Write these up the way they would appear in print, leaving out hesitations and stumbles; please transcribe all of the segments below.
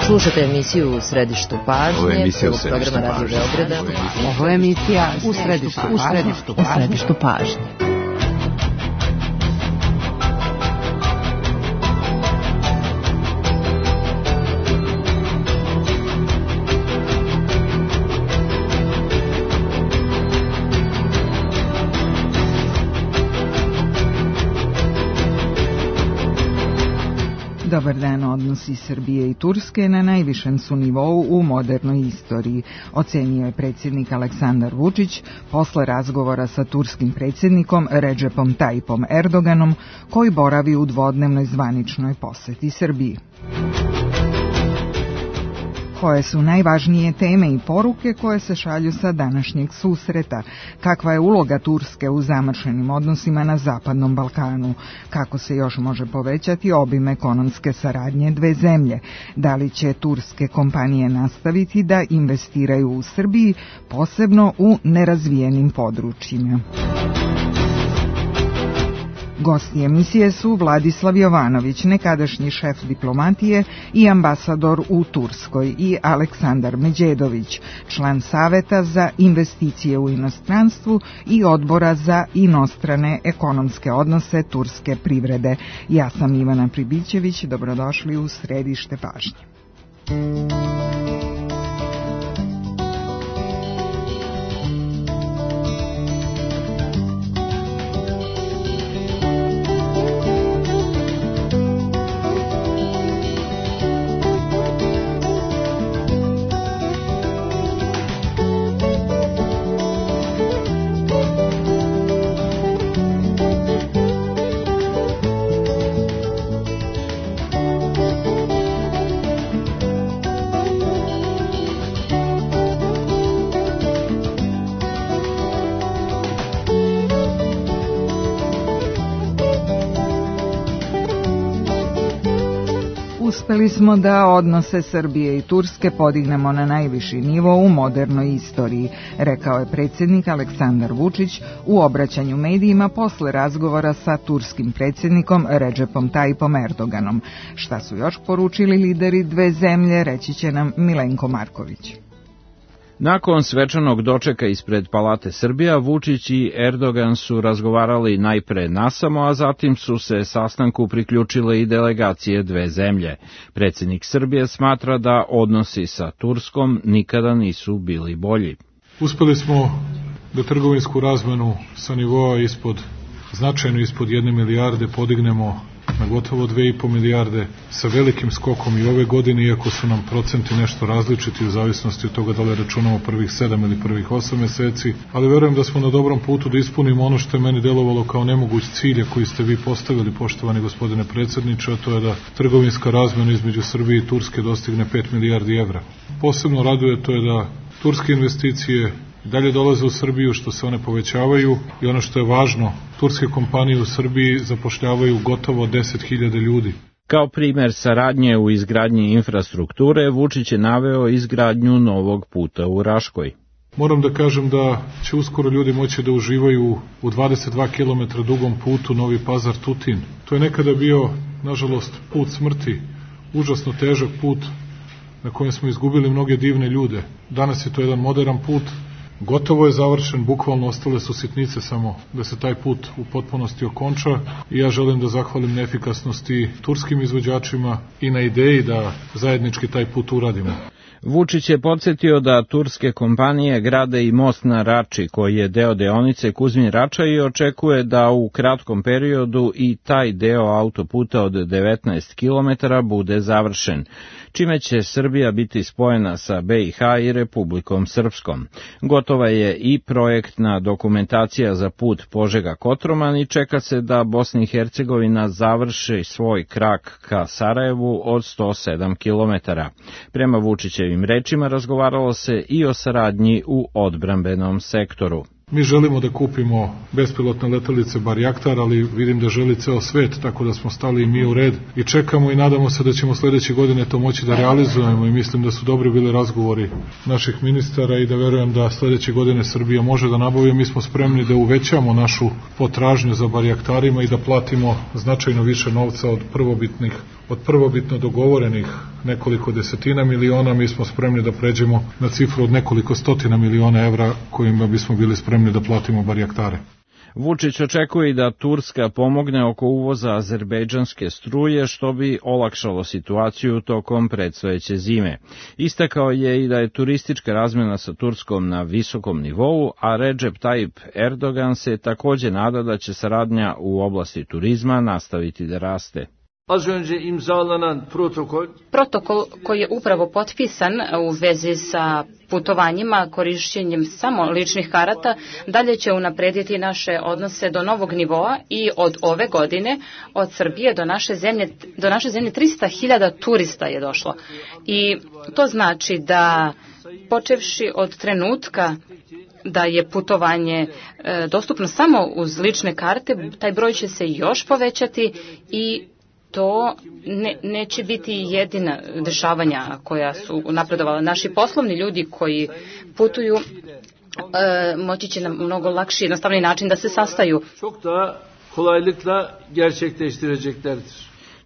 Slušate emisiju U središtu pažnje. Ovo je emisija U središtu pažnje. Radio Beograda. Ovo je emisija U središtu pažnje. Dobar dan, odnosi Srbije i Turske na najvišem su nivou u modernoj istoriji, ocenio je predsjednik Aleksandar Vučić posle razgovora sa turskim predsjednikom Redžepom Tajipom Erdoganom, koji boravi u dvodnevnoj zvaničnoj poseti Srbiji. Koje su najvažnije teme i poruke koje se šalju sa današnjeg susreta? Kakva je uloga Turske u zamršenim odnosima na Zapadnom Balkanu? Kako se još može povećati obim ekonomske saradnje dve zemlje? Da li će turske kompanije nastaviti da investiraju u Srbiji, posebno u nerazvijenim područjima? Gosti emisije su Vladislav Jovanović, nekadašnji šef diplomatije i ambasador u Turskoj, i Aleksandar Međedović, član Saveta za investicije u inostranstvu i Odbora za inostrane ekonomske odnose turske privrede. Ja sam Ivana Pribićević, dobrodošli u središte pažnje. Uspeli smo da odnose Srbije i Turske podignemo na najviši nivo u modernoj istoriji, rekao je predsjednik Aleksandar Vučić u obraćanju medijima posle razgovora sa turskim predsjednikom Redžepom Tajipom Erdoganom. Šta su još poručili lideri dve zemlje, reći će nam Milenko Marković. Nakon svečanog dočeka ispred Palate Srbija, Vučić i Erdogan su razgovarali najpre nasamo, a zatim su se sastanku priključile i delegacije dve zemlje. Predsjednik Srbije smatra da odnosi sa Turskom nikada nisu bili bolji. Uspeli smo da trgovinsku razmenu sa nivoa značajno ispod 1 milijarde podignemo na gotovo 2,5 milijarde sa velikim skokom i ove godine, iako su nam procenti nešto različiti u zavisnosti od toga da li računamo prvih 7 ili prvih 8 meseci, ali verujem da smo na dobrom putu da ispunimo ono što je meni delovalo kao nemoguć cilj koji ste vi postavili, poštovani gospodine predsjedniče, a to je da trgovinska razmena između Srbije i Turske dostigne 5 milijardi evra. Posebno raduje to je da turske investicije dalje dolaze u Srbiju, što se one povećavaju, i ono što je važno, turske kompanije u Srbiji zapošljavaju gotovo 10.000 ljudi. Kao primer saradnje u izgradnji infrastrukture, Vučić je naveo izgradnju novog puta u Raškoj. Moram da kažem da će uskoro ljudi moći da uživaju u 22 km dugom putu Novi Pazar-Tutin. To je nekada bio, nažalost, put smrti, užasno težak put na kojem smo izgubili mnoge divne ljude. Danas je to jedan modern put, gotovo je završen, bukvalno ostale su sitnice samo da se taj put u potpunosti okonča, i ja želim da zahvalim na efikasnosti turskim izvođačima i na ideji da zajednički taj put uradimo. Vučić je podsjetio da turske kompanije grade i most na Rači, koji je deo deonice Kuzmin-Rača, i očekuje da u kratkom periodu i taj deo autoputa od 19 km bude završen, čime će Srbija biti spojena sa BiH i Republikom Srpskom. Gotova je i projektna dokumentacija za put Požega-Kotroman i čeka se da Bosna i Hercegovina završi svoj krak ka Sarajevu od 107 km. Prema Vučićevim rečima razgovaralo se i o saradnji u odbrambenom sektoru. Mi želimo da kupimo bespilotne letelice Barjaktar, ali vidim da želi ceo svet, tako da smo stali i mi u red i čekamo i nadamo se da ćemo sledeće godine to moći da realizujemo, i mislim da su dobri bili razgovori naših ministara i da verujem da sledeće godine Srbija može da nabavi. Mi smo spremni da uvećamo našu potražnju za Barjaktarima i da platimo značajno više novca od prvobitnih od prvobitno dogovorenih nekoliko desetina miliona, mi smo spremni da pređemo na cifru od nekoliko stotina miliona evra kojima bismo bili spremni da platimo barjaktare. Vučić očekuje da Turska pomogne oko uvoza azerbejdžanske struje, što bi olakšalo situaciju tokom predstojeće zime. Istakao je i da je turistička razmjena sa Turskom na visokom nivou, a Recep Tayyip Erdogan se takođe nada da će saradnja u oblasti turizma nastaviti da raste. Az önce imzalanan protokol koji je upravo potpisan u vezi sa putovanjima korišćenjem samo ličnih karata dalje će unaprediti naše odnose do novog nivoa i od ove godine od Srbije do naše zemlje 300.000 turista je došlo. I to znači da počevši od trenutka da je putovanje dostupno samo uz lične karte, taj broj će se još povećati i to neće biti jedina dešavanja koja su napredovala. Naši poslovni ljudi koji putuju moći će na mnogo lakši, jednostavni način da se sastaju. Çok da kolaylıkla gerçekleştireceklerdir.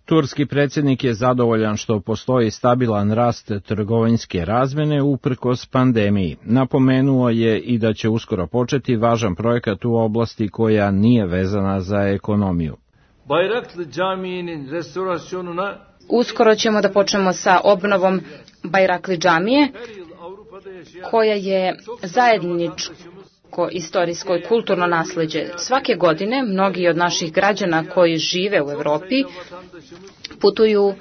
Turski predsjednik je zadovoljan što postoji stabilan rast trgovinske razmjene uprkos pandemiji. Napomenuo je i da će uskoro početi važan projekat u oblasti koja nije vezana za ekonomiju. Bayraklı Camii'nin restorasyonuna Uskoro ćemo da počnemo sa obnovom Bayraklı džamije, koja je zajedničko istorijsko i kulturno nasleđe. Svake godine mnogi od naših građana koji žive u Evropi putuju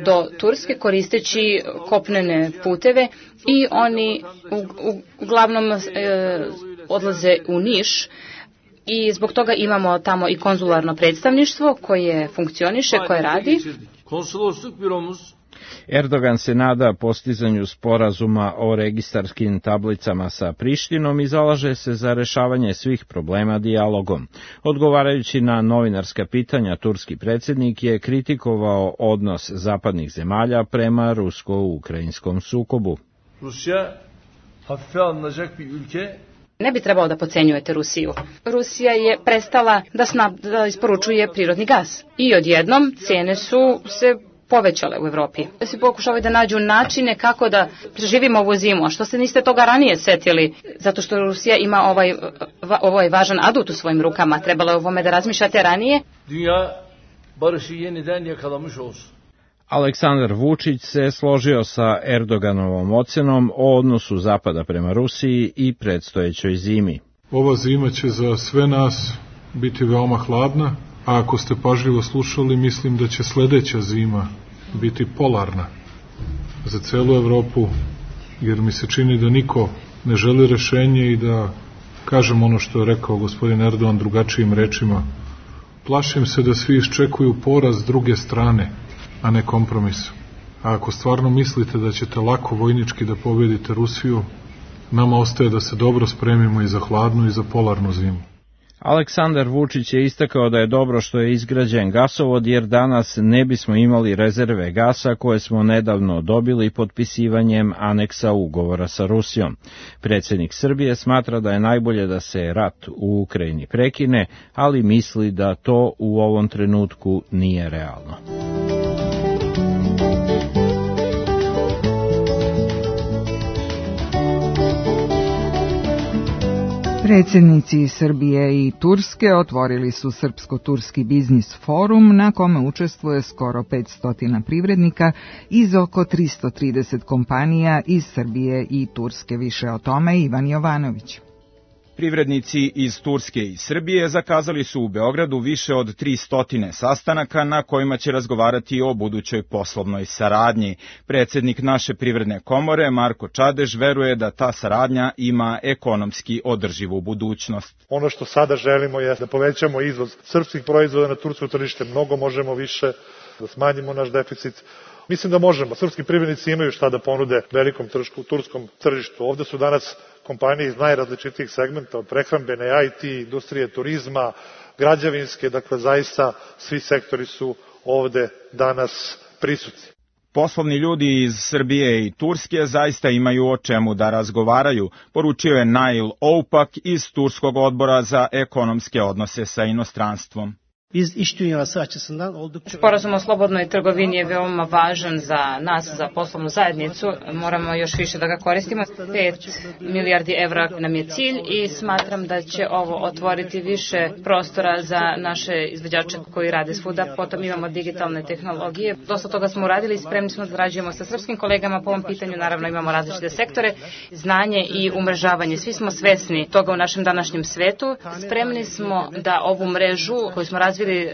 do Turske koristeći kopnene puteve i oni uglavnom odlaze u Niš. I zbog toga imamo tamo i konzularno predstavništvo koje funkcioniše, koje radi. Erdogan se nada postizanju sporazuma o registarskim tablicama sa Prištinom i zalaže se za rešavanje svih problema dijalogom. Odgovarajući na novinarska pitanja, turski predsjednik je kritikovao odnos zapadnih zemalja prema rusko-ukrajinskom sukobu. Rusya hafife alınacak bir ülke. Ne bi trebalo da podcenjujete Rusiju. Rusija je prestala da isporučuje prirodni gas. I odjednom cijene su se povećale u Evropi. Svi pokušavaju da nađu načine kako da preživimo ovu zimu. A što se niste toga ranije setili? Zato što Rusija ima ovaj važan adut u svojim rukama. Trebalo je o ovome da razmišljate ranije. Dünya barışı yeniden yakalamış olsun. Aleksandar Vučić se složio sa Erdoganovom ocenom o odnosu Zapada prema Rusiji i predstojećoj zimi. Ova zima će za sve nas biti veoma hladna, a ako ste pažljivo slušali, mislim da će sledeća zima biti polarna za celu Evropu, jer mi se čini da niko ne želi rešenje i da kažem ono što je rekao gospodin Erdogan drugačijim rečima. Plašim se da svi iščekuju poraz druge strane, a ne kompromisu. A ako stvarno mislite da ćete lako vojnički da pobedite Rusiju, nama ostaje da se dobro spremimo i za hladnu i za polarnu zimu. Aleksandar Vučić je istakao da je dobro što je izgrađen gasovod, jer danas ne bismo imali rezerve gasa koje smo nedavno dobili potpisivanjem aneksa ugovora sa Rusijom. Predsjednik Srbije smatra da je najbolje da se rat u Ukrajini prekine, ali misli da to u ovom trenutku nije realno. Predsjednici Srbije i Turske otvorili su Srpsko-turski biznis forum na kome učestvuje skoro 500 privrednika iz oko 330 kompanija iz Srbije i Turske. Više o tome Ivan Jovanović. Privrednici iz Turske i Srbije zakazali su u Beogradu više od 300 sastanaka na kojima će razgovarati o budućoj poslovnoj saradnji. Predsjednik naše privredne komore, Marko Čadež, veruje da ta saradnja ima ekonomski održivu budućnost. Ono što sada želimo je da povećamo izvoz srpskih proizvoda na tursko tržište, mnogo možemo više, da smanjimo naš deficit. Mislim da možemo. Srpski privrednici imaju šta da ponude velikom turskom tržištu. Ovde su danas kompanije iz najrazličitijih segmenta, od prehrambene, IT, industrije, turizma, građevinske, dakle zaista svi sektori su ovde danas prisutni. Poslovni ljudi iz Srbije i Turske zaista imaju o čemu da razgovaraju, poručio je Nail Oupak iz Turskog odbora za ekonomske odnose sa inostranstvom. Sporazum o slobodnoj trgovini je veoma važan za nas, za poslovnu zajednicu. Moramo još više da ga koristimo. 5 milijardi evra nam je cilj i smatram da će ovo otvoriti više prostora za naše izvođače koji rade svuda. Potom imamo digitalne tehnologije. Dosta toga smo uradili i spremni smo da zarađujemo sa srpskim kolegama po ovom pitanju. Naravno imamo različite sektore, znanje i umrežavanje. Svi smo svesni toga u našem današnjem svetu. Spremni smo da ovu mrežu koju smo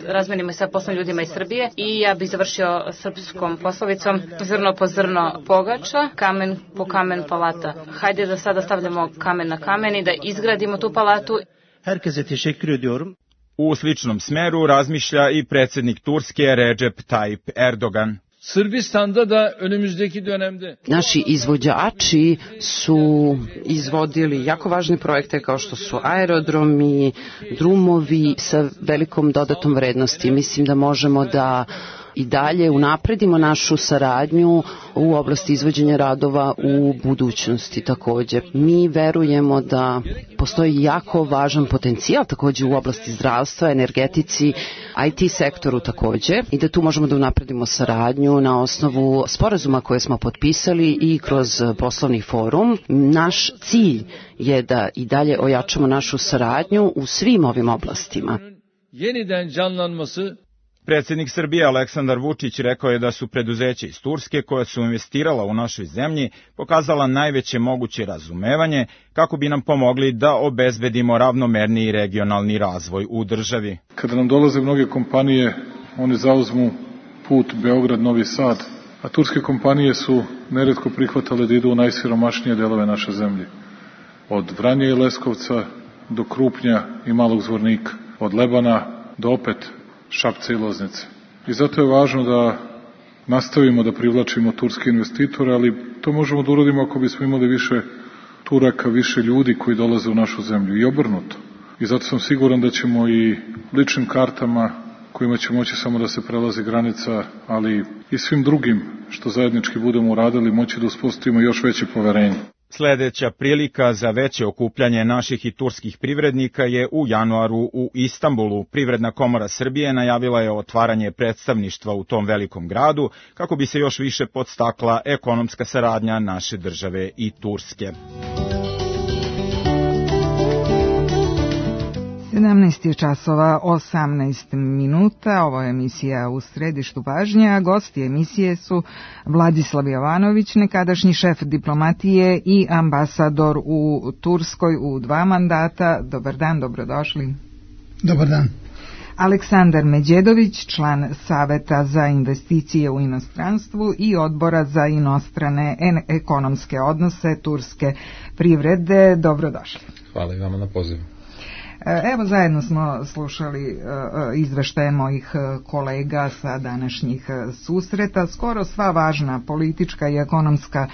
razmenimo sa poslovnim ljudima iz Srbije i ja bih završio srpskom poslovicom zrno po zrno pogača, kamen po kamen palata. Hajde da sada stavljamo kamen na kamen i da izgradimo tu palatu. Herkese teşekkür ediyorum. U sličnom smeru razmišlja i predsjednik Turske Recep Tayyip Erdogan. Sırbistan'da da önümüzdeki dönemde naši izvođači su izvodili jako važne projekte kao što su aerodromi, drumovi sa velikom dodatom vrednosti. Mislim da možemo da i dalje unapredimo našu saradnju u oblasti izvođenja radova u budućnosti također. Mi verujemo da postoji jako važan potencijal također u oblasti zdravstva, energetici, IT sektoru također i da tu možemo da unapredimo saradnju na osnovu sporazuma koje smo potpisali i kroz poslovni forum. Naš cilj je da i dalje ojačamo našu saradnju u svim ovim oblastima. Yeniden canlanması. Predsjednik Srbije Aleksandar Vučić rekao je da su preduzeća iz Turske koja su investirala u našoj zemlji pokazala najveće moguće razumevanje kako bi nam pomogli da obezbedimo ravnomerniji regionalni razvoj u državi. Kada nam dolaze mnoge kompanije, one zauzmu put Beograd-Novi Sad, a turske kompanije su neretko prihvatale da idu u najsiromašnije delove naše zemlje. Od Vranja i Leskovca do Krupnja i Malog Zvornika, od Lebana do opet Šapca i Loznice. I zato je važno da nastavimo da privlačimo turske investitore, ali to možemo da uradimo ako bismo imali više Turaka, više ljudi koji dolaze u našu zemlju i obrnuto. I zato sam siguran da ćemo i ličnim kartama kojima će moći samo da se prelazi granica, ali i svim drugim što zajednički budemo uradili moći da uspostavimo još veće poverenje. Sledeća prilika za veće okupljanje naših i turskih privrednika je u januaru u Istanbulu. Privredna komora Srbije najavila je otvaranje predstavništva u tom velikom gradu kako bi se još više podstakla ekonomska saradnja naše države i Turske. 17 časova 18 minuta, ovo je emisija U središtu pažnje, a gosti emisije su Vladislav Jovanović, nekadašnji šef diplomatije i ambasador u Turskoj u 2 mandata. Dobar dan, dobrodošli. Dobar dan. Aleksandar Međedović, član Saveta za investicije u inostranstvu i Odbora za inostrane ekonomske odnose turske privrede. Dobrodošli. Hvala i vama na pozivu. Evo, zajedno smo slušali izveštaje mojih kolega sa današnjih susreta. Skoro sva važna politička i ekonomska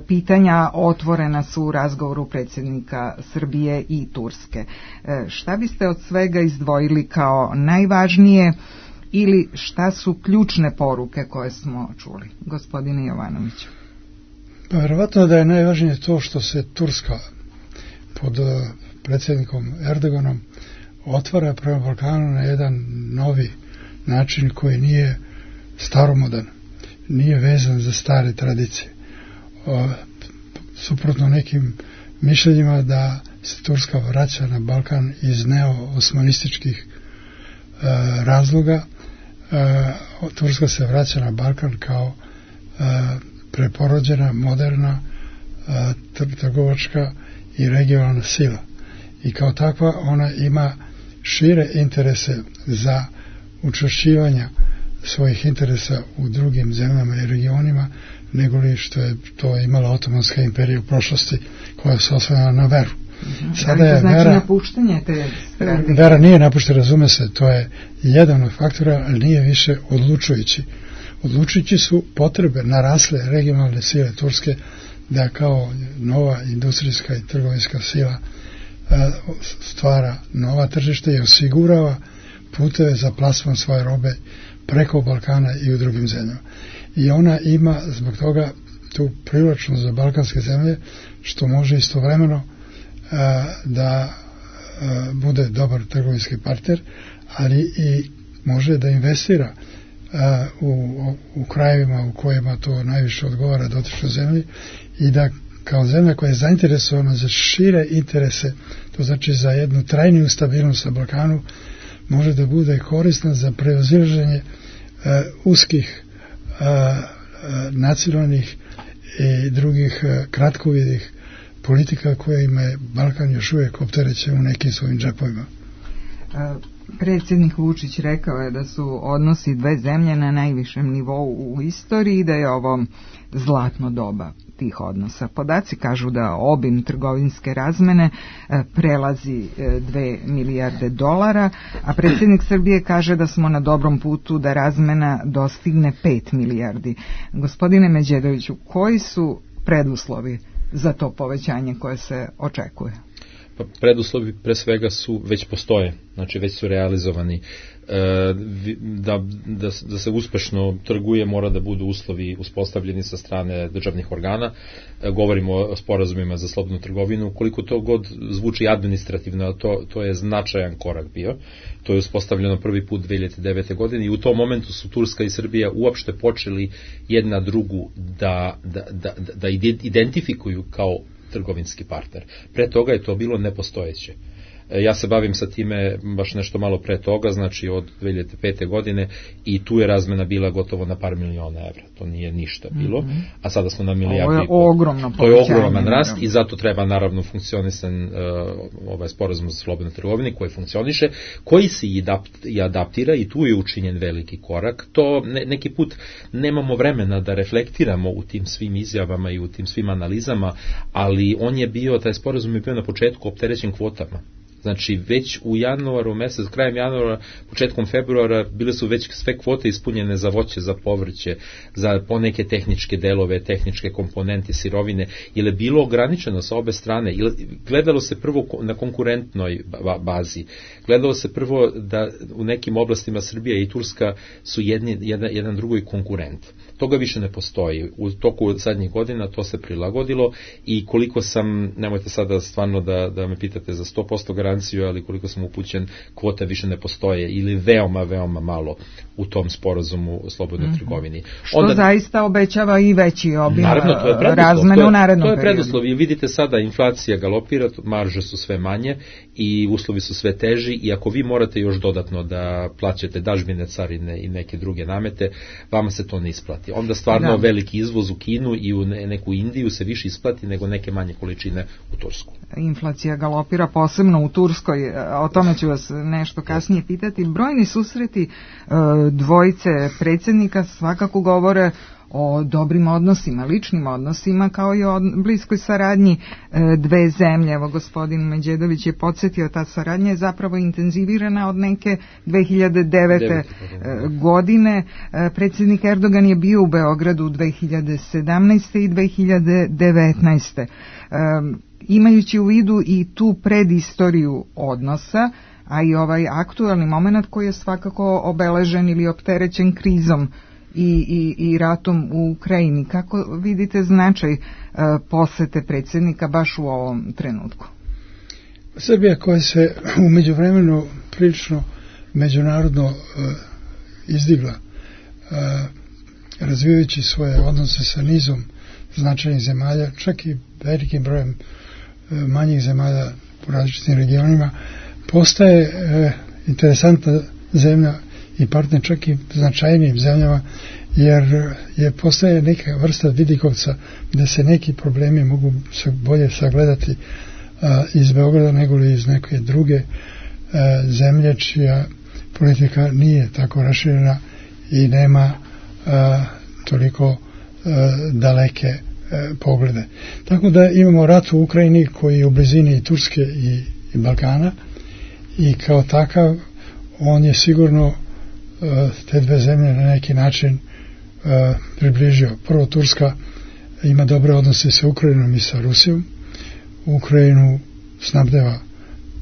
pitanja otvorena su u razgovoru predsjednika Srbije i Turske. Šta biste od svega izdvojili kao najvažnije ili šta su ključne poruke koje smo čuli? Gospodine Jovanoviću. Pa verovatno da je najvažnije to što se Turska pod predsjednikom Erdoganom otvara prema Balkanu na jedan novi način koji nije staromodan, nije vezan za stare tradicije. Suprotno nekim mišljenjima da se Turska vraća na Balkan iz neo-osmanističkih razloga, Turska se vraća na Balkan kao preporođena, moderna, trgovačka i regionalna sila. I kao takva ona ima šire interese za učvršćivanje svojih interesa u drugim zemljama i regionima nego li što je to imala Otomanska imperija u prošlosti koja se oslanjala na veru. Sada je znači napuštanje te vera nije napuštena, razume se, to je jedan od faktora, ali nije više odlučujući. Odlučujući su potrebe narasle regionalne sile Turske da kao nova industrijska i trgovinska sila stvara nova tržišta i osigurava puteve za plasman svoje robe preko Balkana i u drugim zemljama. I ona ima zbog toga tu privlačnost za balkanske zemlje što može istovremeno da bude dobar trgovinski partner, ali i može da investira u krajevima u kojima to najviše odgovara dotičnoj zemlji i da kao zemlja koja je zainteresovana za šire interese, to znači za jednu trajniju stabilnost na Balkanu, može da bude korisna za prevazilaženje uskih nacionalnih i drugih kratkovidih politika koje ima Balkan još uvijek opterećen u nekim svojim džepovima. Predsjednik Vučić rekao je da su odnosi dve zemlje na najvišem nivou u istoriji i da je ovo zlatno doba tih odnosa. Podaci kažu da obim trgovinske razmene prelazi 2 milijarde dolara, a predsjednik Srbije kaže da smo na dobrom putu da razmena dostigne 5 milijardi. Gospodine Međedoviću, koji su preduslovi za to povećanje koje se očekuje? Preduslovi pre svega su već postoje, znači već su realizovani. Da se uspešno trguje mora da budu uslovi uspostavljeni sa strane državnih organa. Govorimo o sporazumima za slobodnu trgovinu. Koliko to god zvuči administrativno, to je značajan korak bio. To je uspostavljeno prvi put 2009. godine i u tom momentu su Turska i Srbija uopšte počeli jedna drugu da identifikuju kao trgovinski partner. Pre toga je to bilo nepostojeće. Ja se bavim sa time baš nešto malo pre toga, znači od 2005. godine i tu je razmena bila gotovo na par miliona evra. To nije ništa bilo, a sada smo na milijardu i pol. To je ogroman rast i zato treba naravno funkcionisan ovaj sporazum za slobodnu trgovinu koji funkcioniše, koji se i adaptira i tu je učinjen veliki korak. To neki put nemamo vremena da reflektiramo u tim svim izjavama i u tim svim analizama, ali taj sporazum je bio na početku opterećen kvotama. Znači, već u januaru mesec, krajem januara, početkom februara, bile su već sve kvote ispunjene za voće, za povrće, za poneke tehničke delove, tehničke komponente, sirovine, jer je bilo ograničeno sa obe strane. Gledalo se prvo na konkurentnoj bazi. Gledalo se prvo da u nekim oblastima Srbija i Turska su jedan drugoj konkurent. Toga više ne postoji. U toku zadnjih godina to se prilagodilo i koliko sam, nemojte sada stvarno da me pitate za 100% garanciju, ali koliko sam upućen, kvote više ne postoje ili veoma, veoma malo u tom sporazumu o slobodnoj trgovini. Što zaista obećava i veći obim razmene u narednom periodu. To je preduslov. I vidite sada, inflacija galopira, marže su sve manje i uslovi su sve teži i ako vi morate još dodatno da plaćate dažbine, carine i neke druge namete, vama se to ne isplati. Onda stvarno veliki izvoz u Kinu i u neku Indiju se više isplati nego neke manje količine u Tursku. Inflacija galopira posebno u Turskoj, o tome ću vas nešto kasnije pitati. Brojni susreti dvojice predsjednika svakako govore o dobrim odnosima, ličnim odnosima, kao i o bliskoj saradnji dve zemlje. Evo, gospodin Međedović je podsjetio, ta saradnja je zapravo intenzivirana od neke 2009. godine. Predsjednik Erdogan je bio u Beogradu 2017. i 2019. Imajući u vidu i tu predistoriju odnosa, a i ovaj aktualni moment koji je svakako obeležen ili opterećen krizom i ratom u Ukrajini. Kako vidite značaj posete predsjednika baš u ovom trenutku? Srbija koja se u međuvremenu prilično međunarodno izdigla, razvijajući svoje odnose sa nizom značajnih zemalja, čak i velikim brojem manjih zemalja u različitim regionima, postaje interesantna zemlja i partner čak i značajnijim zemljama, jer postaje neka vrsta vidikovca gde se neki problemi mogu bolje sagledati iz Beograda nego li iz neke druge zemlje čija politika nije tako raširena i nema toliko daleke poglede. Tako da imamo rat u Ukrajini koji je u blizini i Turske i Balkana i kao takav on je sigurno te dve zemlje na neki način približio. Prvo, Turska ima dobre odnose sa Ukrajinom i sa Rusijom. Ukrajinu snabdeva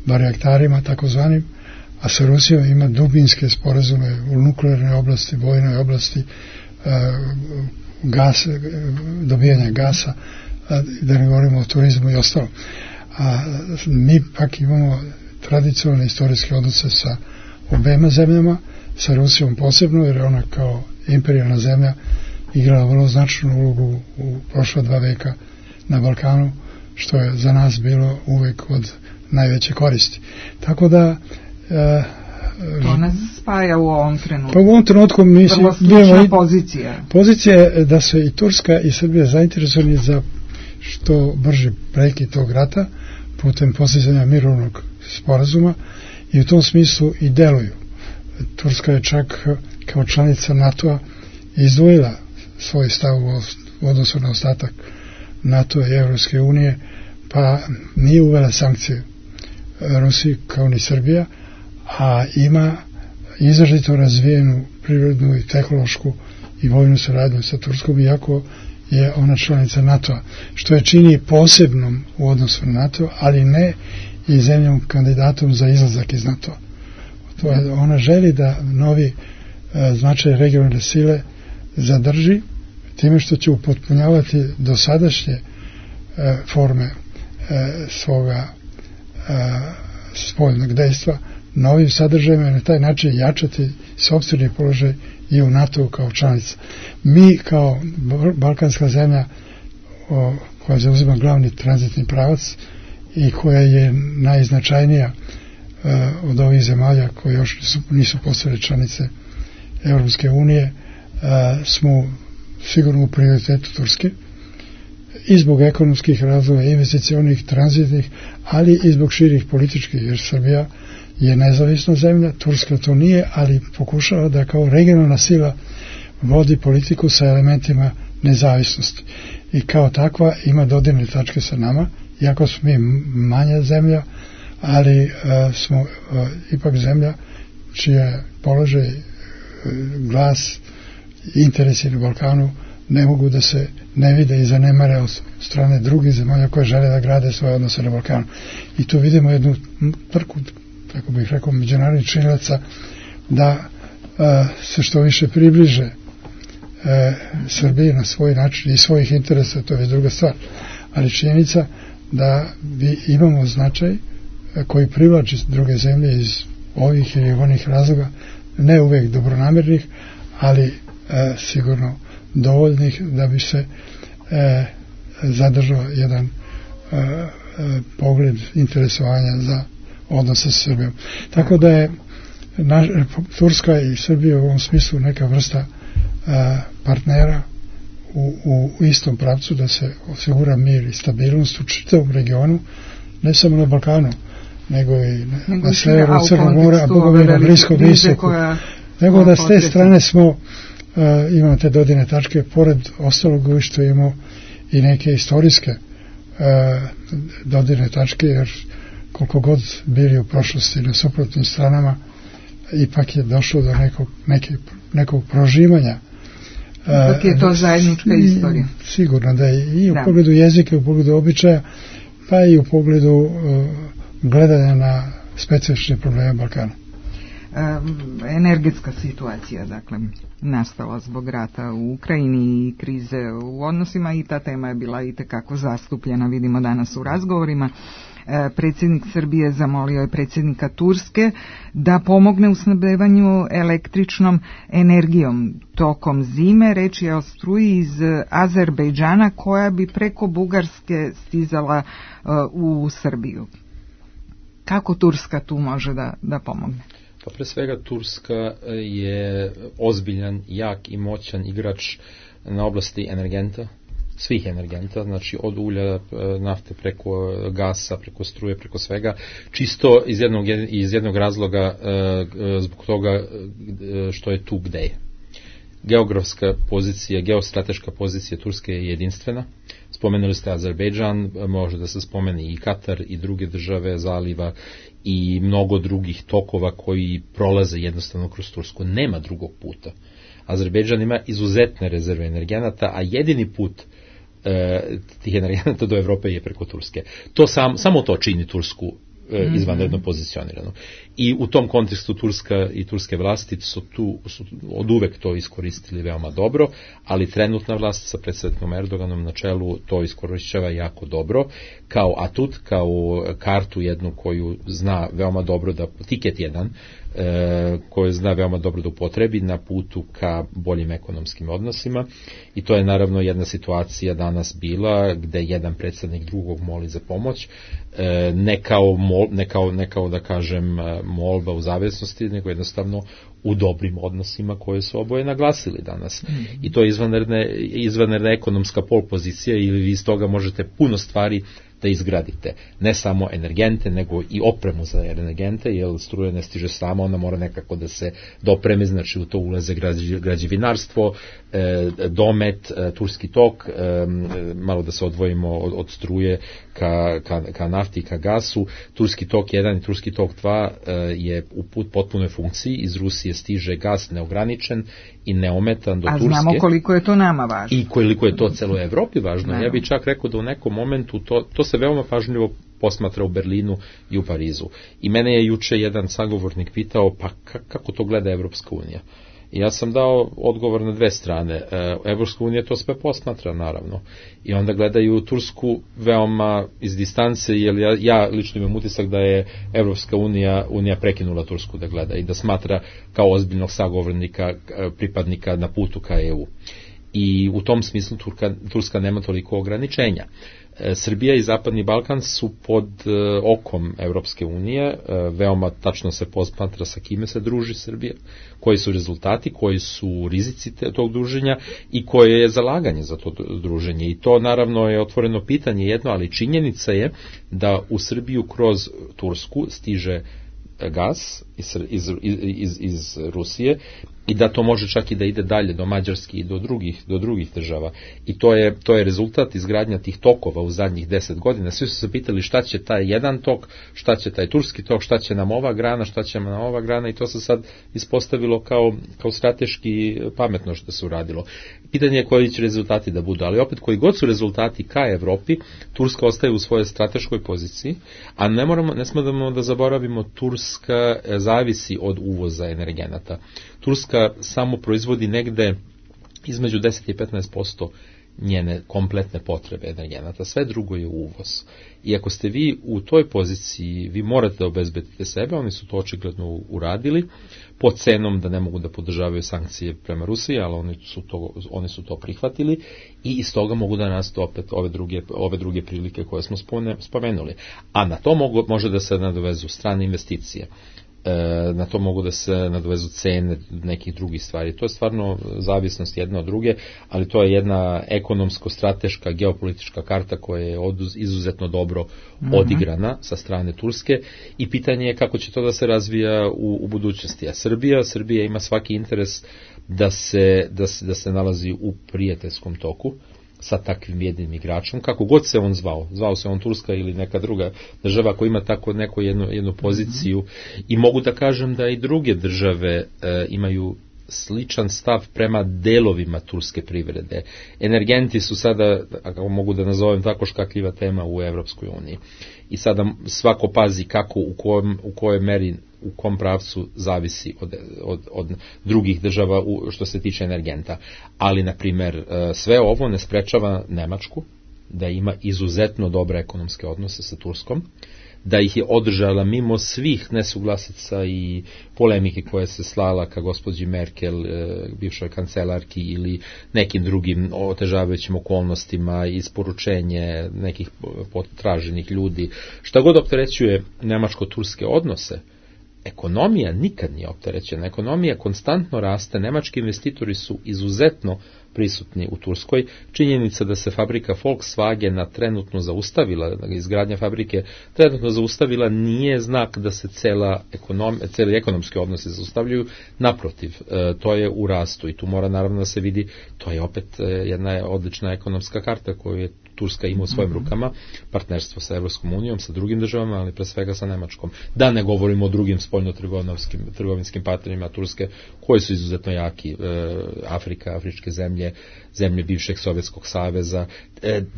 barjaktarima takozvanim, a sa Rusijom ima dubinske sporazume u nuklearnoj oblasti, vojnoj oblasti, dobijanja gasa, da ne govorimo o turizmu i ostalo. A mi pak imamo tradicionalne istorijske odnose sa obema zemljama, sa Rusijom posebno, jer ona kao imperijalna zemlja igrala vrlo značajnu ulogu u prošla 2 veka na Balkanu, što je za nas bilo uvek od najveće koristi. Tako da to nas spaja u ovom trenutku. Pa u ovom trenutku mi vrlo slična pozicija. Pozicija je da su i Turska i Srbija zainteresovani za što brži prekid tog rata putem postizanja mirovnog sporazuma i u tom smislu i deluju. Turska je čak kao članica NATO-a izdvojila svoj stav u odnosu na ostatak NATO i Evropske unije, pa nije uvela sankcije Rusiji kao ni Srbija, a ima izrazito razvijenu privrednu i tehnološku i vojnu saradnju sa Turskom, iako je ona članica NATO-a, što je čini posebnom u odnosu na NATO, ali ne i zemljom kandidatom za izlazak iz NATO-a. Ona želi da novi značaj regionalne sile zadrži time što će upotpunjavati dosadašnje forme svoga spoljnog dejstva novim sadržajima i na taj način jačati sopstveni položaj i u NATO kao članica. Mi kao balkanska zemlja koja zauzima glavni tranzitni pravac i koja je najznačajnija od ovih zemalja koje još nisu postale članice Evropske unije, smo sigurno u prioritetu Turske i zbog ekonomskih razloga, investicionih, tranzitnih, ali i zbog širih političkih, jer Srbija je nezavisna zemlja, Turska to nije, ali pokušava da kao regionalna sila vodi politiku sa elementima nezavisnosti i kao takva ima dodirne tačke sa nama, iako smo mi manja zemlja, ali smo ipak zemlja čija položaj, glas, interesi na Balkanu ne mogu da se ne vide i zanemare od strane drugih zemalja koje žele da grade svoje odnose na Balkanu. I tu vidimo jednu trku, tako bih rekao, međunarodnih činilaca da se što više približe Srbiji na svoj način i svojih interesa, to je druga stvar. Ali činjenica da imamo značaj koji privlači druge zemlje iz ovih ili onih razloga, ne uvek dobronamernih, ali sigurno dovoljnih da bi se zadržao jedan pogled interesovanja za odnose sa Srbijom. Tako da je Turska i Srbija u ovom smislu neka vrsta partnera u istom pravcu da se osigura mir i stabilnost u čitavom regionu, ne samo na Balkanu, nego i na severu Crnog mora, a Boga na Bliskom istoku. Nego da s te strane smo imamo te dodirne tačke, pored ostalog što imamo i neke istorijske dodirne tačke, jer koliko god bili u prošlosti na suprotnim stranama, ipak je došlo do nekog prožimanja. Ipak je to zajednička istorija. Sigurno da je i u pogledu jezika, u pogledu običaja, pa i u pogledu gledanja na specifične probleme Balkana. Energetska situacija, dakle, nastala zbog rata u Ukrajini i krize u odnosima i ta tema je bila i tekako zastupljena, vidimo danas u razgovorima. Predsjednik Srbije zamolio je predsjednika Turske da pomogne u snabdevanju električnom energijom tokom zime. Reč je o struji iz Azerbejdžana koja bi preko Bugarske stizala u Srbiju. Kako Turska tu može da pomogne? Pa pre svega Turska je ozbiljan, jak i moćan igrač na oblasti energenta, svih energenta, znači od ulja, nafte preko gasa, preko struje, preko svega, čisto iz jednog razloga zbog toga što je tu gde je. Geografska pozicija, geostrateška pozicija Turske je jedinstvena. Spomenuli ste Azerbejdžan, može da se spomeni i Katar i druge države zaliva i mnogo drugih tokova koji prolaze jednostavno kroz Tursku. Nema drugog puta. Azerbejdžan ima izuzetne rezerve energenata, a jedini put tih energenata do Evrope je preko Turske. Samo to čini Tursku izvanredno pozicionirano. I u tom kontekstu Turska i turske vlasti su od uvek to iskoristili veoma dobro, ali trenutna vlast sa predsjednikom Erdoganom na čelu to iskorišćava jako dobro, kao atut, kao kartu jednu koju zna veoma dobro, da tiket jedan, koje zna veoma dobro da upotrebi na putu ka boljim ekonomskim odnosima i to je naravno jedna situacija danas bila gde jedan predstavnik drugog moli za pomoć, ne kao da kažem molba u zavisnosti, nego jednostavno u dobrim odnosima koje su oboje naglasili danas. I to je izvanredna ekonomska polpozicija i vi iz toga možete puno stvari da izgradite. Ne samo energente, nego i opremu za energente, jer struja ne stiže sama, ona mora nekako da se dopreme, znači u to ulaze građevinarstvo, domet, turski tok, malo da se odvojimo od struje ka nafti i ka gasu. Turski tok 1 i Turski tok 2 je u potpunoj funkciji, iz Rusije stiže gas neograničen i neometan do Turske. A znamo koliko je to nama važno. I koliko je to celoj Evropi važno. Ja bih čak rekao da u nekom momentu to se veoma pažljivo posmatra u Berlinu i u Parizu. I mene je juče jedan sagovornik pitao, pa kako to gleda Evropska unija? I ja sam dao odgovor na dve strane. Evropska unija to sve posmatra, naravno. I onda gledaju Tursku veoma iz distance, jer ja lično imam utisak da je Evropska unija prekinula Tursku da gleda i da smatra kao ozbiljnog sagovornika, pripadnika na putu ka EU. I u tom smislu Turska nema toliko ograničenja. Srbija i Zapadni Balkan su pod okom Evropske unije, veoma tačno se posmatra sa kime se druži Srbija, koji su rezultati, koji su rizici tog druženja i koje je zalaganje za to druženje. I to naravno je otvoreno pitanje jedno, ali činjenica je da u Srbiju kroz Tursku stiže gas iz Rusije i da to može čak i da ide dalje do Mađarske i do drugih država. I to je rezultat izgradnja tih tokova u zadnjih 10 godina. Svi su se pitali šta će taj jedan tok, šta će taj turski tok, šta će nam ova grana, šta će nam ova grana i to se sad ispostavilo kao strateški pametno što se uradilo. Pitanje je koji će rezultati da budu, ali opet koji god su rezultati ka Evropi, Turska ostaje u svojoj strateškoj poziciji, a ne smemo da zaboravimo, Turska zavisi od uvoza energenata. Turska samo proizvodi negde između 10 i 15% njene kompletne potrebe energenata, sve drugo je uvoz. I ako ste vi u toj poziciji, vi morate da obezbedite sebe, oni su to očigledno uradili, pod cenom da ne mogu da podržavaju sankcije prema Rusiji, ali oni su to prihvatili i iz toga mogu da nastu opet ove druge prilike koje smo spomenuli. A na to može da se nadovezu strane investicije. Na to mogu da se nadovezu cene nekih drugih stvari. To je stvarno zavisnost jedna od druge, ali to je jedna ekonomsko-strateška geopolitička karta koja je izuzetno dobro odigrana sa strane Turske i pitanje je kako će to da se razvija u budućnosti. A Srbija ima svaki interes da se nalazi u prijateljskom toku sa takvim jednim igračom, kako god se on zvao se on Turska ili neka druga država koja ima tako jednu poziciju i mogu da kažem da i druge države imaju sličan stav prema delovima turske privrede. Energenti su sada, ako mogu da nazovem tako, škakljiva tema u Evropskoj uniji. I sada svako pazi kako, u kojoj meri, u kom pravcu zavisi od drugih država što se tiče energenta. Ali, na primer, sve ovo ne sprečava Nemačku da ima izuzetno dobre ekonomske odnose sa Turskom, da ih je održala mimo svih nesuglasica i polemike koje se slala ka gospođi Merkel, bivšoj kancelarki ili nekim drugim otežavajućim okolnostima, isporučenje nekih potraženih ljudi. Šta god opterećuje nemačko-turske odnose, ekonomija nikad nije opterećena. Ekonomija konstantno raste, nemački investitori su izuzetno prisutni u Turskoj. Činjenica da se fabrika Volkswagena trenutno zaustavila, izgradnja fabrike trenutno zaustavila, nije znak da se cijeli ekonomski odnosi zaustavljaju. Naprotiv, to je u rastu i tu mora naravno da se vidi, to je opet jedna odlična ekonomska karta koju je Turska ima u svojim rukama, partnerstvo sa Evropskom unijom, sa drugim državama, ali pre svega sa Nemačkom. Da ne govorimo o drugim spoljno-trgovinskim partnerima Turske, koji su izuzetno jaki, Afrika, afričke zemlje bivšeg Sovjetskog saveza.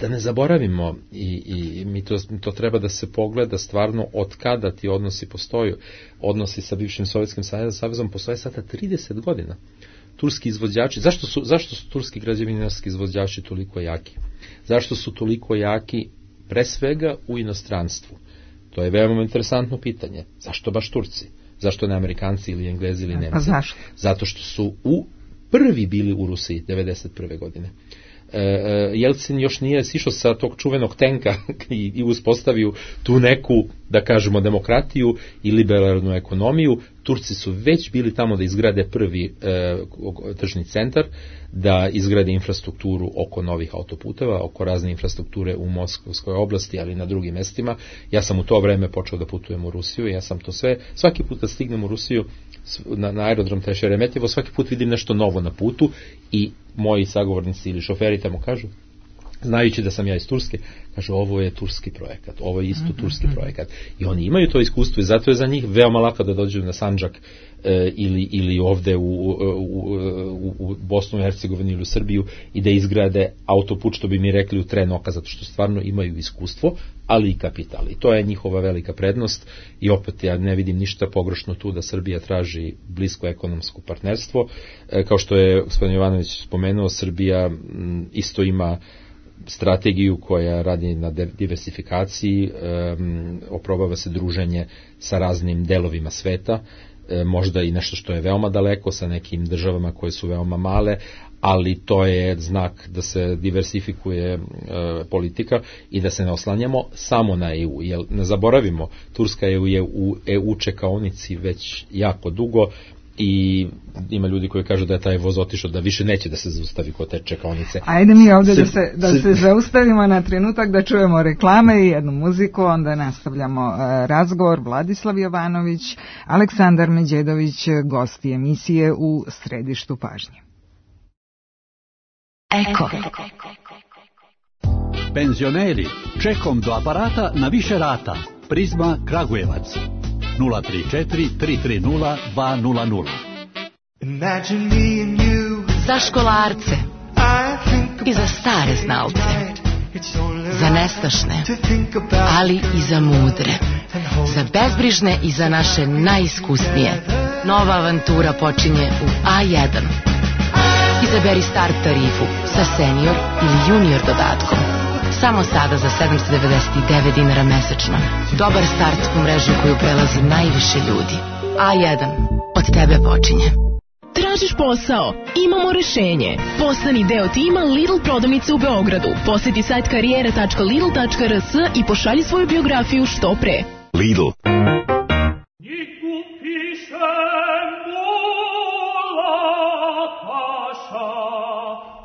Da ne zaboravimo, i mi to treba da se pogleda stvarno od kada ti odnosi postoju. Odnosi sa bivšim Sovjetskim savezom postoje sada 30 godina. Turski izvođači, zašto su turski građevinarski izvođači toliko jaki? Zašto su toliko jaki pre svega u inostranstvu? To je veoma interesantno pitanje. Zašto baš Turci? Zašto ne Amerikanci ili Englezi ili Nemci? A zašto? Zato što su prvi bili u Rusiji 1991. godine. Jelcin još nije sišao sa tog čuvenog tenka i uspostavio tu neku, da kažemo, demokratiju i liberalnu ekonomiju. Turci su već bili tamo da izgrade prvi tržni centar, da izgrade infrastrukturu oko novih autoputeva, oko razne infrastrukture u Moskovskoj oblasti, ali i na drugim mestima. Ja sam u to vreme počeo da putujem u Rusiju i ja sam to sve, svaki put kad stignem u Rusiju na aerodrom Šeremetjevo, svaki put vidim nešto novo na putu i moji sagovornici ili šoferi tamo kažu, znajući da sam ja iz Turske, kažu ovo je turski projekat, ovo je isto turski projekat. I oni imaju to iskustvo i zato je za njih veoma lako da dođu na Sandžak ili ovde u Bosnu i Hercegovini ili u Srbiju i da izgrade autoput, što bi mi rekli u tren oka, zato što stvarno imaju iskustvo, ali i kapital. I to je njihova velika prednost i opet ja ne vidim ništa pogrešno tu da Srbija traži blisko ekonomsko partnerstvo. Kao što je gospodin Jovanović spomenuo, Srbija isto ima strategiju koja radi na diversifikaciji, oprobava se druženje sa raznim delovima sveta, možda i nešto što je veoma daleko sa nekim državama koje su veoma male, ali to je znak da se diversifikuje politika i da se ne oslanjamo samo na EU. Jer ne zaboravimo, Turska je u EU čekaonici već jako dugo i ima ljudi koji kažu da je taj voz otišao, da više neće da se zaustavi kod te čekaonice. Ajde mi ovdje da se zaustavimo na trenutak, da čujemo reklame i jednu muziku, onda nastavljamo razgovor. Vladislav Jovanović, Aleksandar Međedović, gosti emisije u središtu pažnje. Eko. Penzioneri, čekom do aparata na više rata. Prizma Kragujevac. 034 330 200. Za školarce i za stare znalce, za nestašne, ali i za mudre, za bezbrižne i za naše najiskusnije. Nova avantura počinje u A1. Izaberi start tarifu sa senior ili junior dodatkom. Samo sada za 799 dinara mesečno. Dobar start u mrežu koju prelazi najviše ljudi. A1. Od tebe počinje. Tražiš posao? Imamo rešenje. Postani deo tima Lidl prodavnice u Beogradu. Poseti sajt karijere.lidl.rs i pošalji svoju biografiju što pre. Lidl.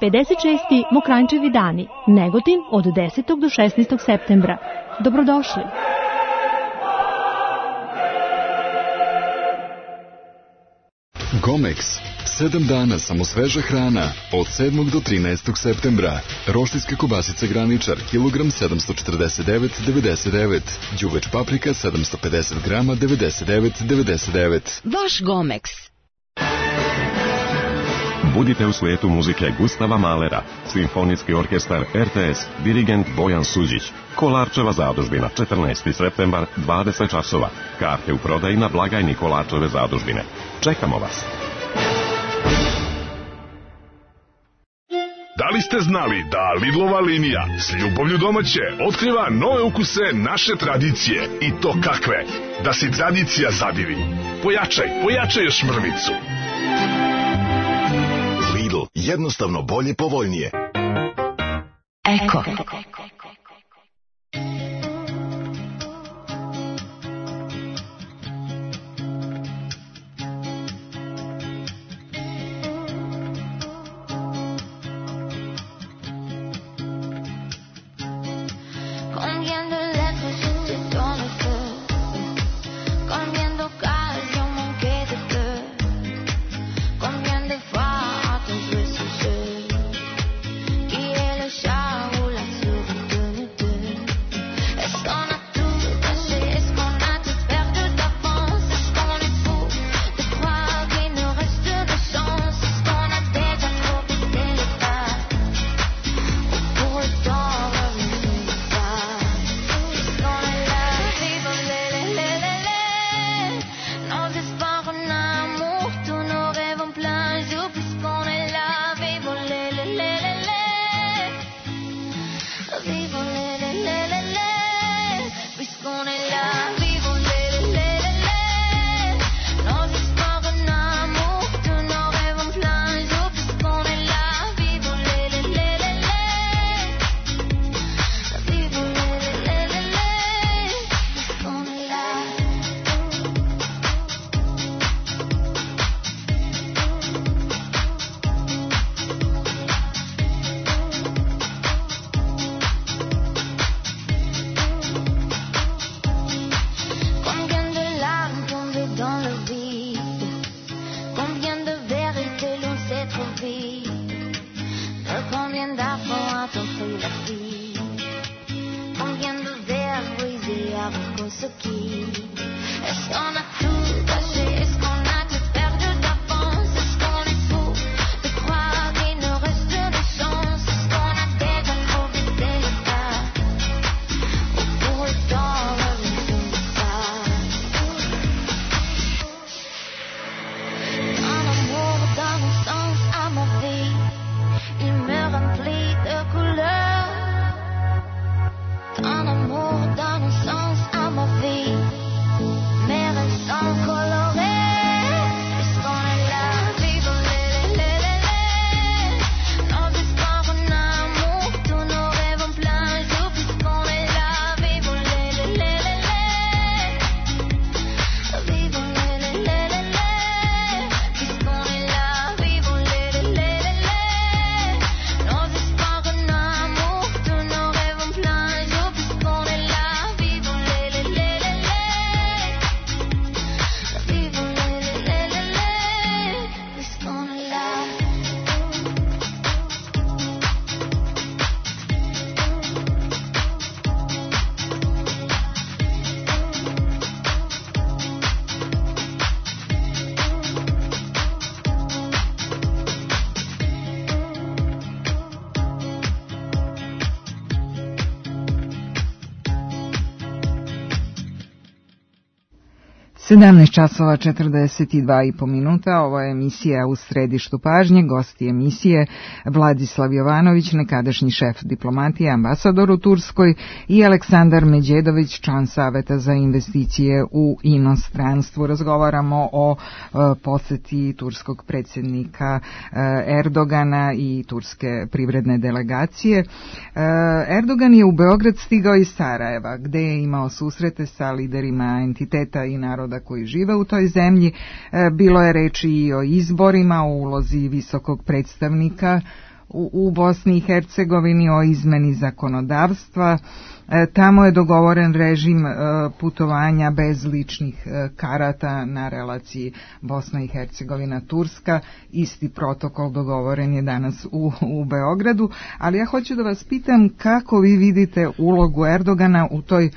56. Mokranjčevi dani, Negotin od 10. do 16. septembra. Dobrodošli! Gomex. 7 dana samo sveža hrana od 7. do 13. septembra. Roštiljske kobasice Graničar, kilogram 749,99. Đuveč paprika 750 grama 99,99. Vaš Gomex. Budite u svijetu muzike Gustava Mahlera, Simfonijski orkestar RTS, dirigent Bojan Suđić. Kolarčeva zadužbina, 14. septembar, 20 časova. Karte u prodaji na blagajni Kolarčeve zadužbine. Čekamo vas. Da li ste znali da Lidlova linija s ljubavlju domaće otkriva nove ukuse naše tradicije? I to kakve? Da si tradicija zadivi. Pojačaj još mrvicu. Lidl, jednostavno bolje, povoljnije. Eko. Qui est le chat ou la souris? 17 časova 42,5 minuta, ovo je emisija U središtu pažnje, gosti emisije Vladislav Jovanović, nekadašnji šef diplomatije, ambasador u Turskoj, i Aleksandar Međedović, član Saveta za investicije u inostranstvu. Razgovaramo o poseti turskog predsjednika Erdogana i turske privredne delegacije. Erdogan je u Beograd stigao iz Sarajeva, gde je imao susrete sa liderima entiteta i naroda koji žive u toj zemlji. Bilo je reči i o izborima, o ulozi visokog predstavnika u Bosni i Hercegovini, o izmeni zakonodavstva. Tamo je dogovoren režim putovanja bez ličnih karata na relaciji Bosna i Hercegovina Turska. Isti protokol dogovoren je danas u Beogradu, ali ja hoću da vas pitam kako vi vidite ulogu Erdogana u toj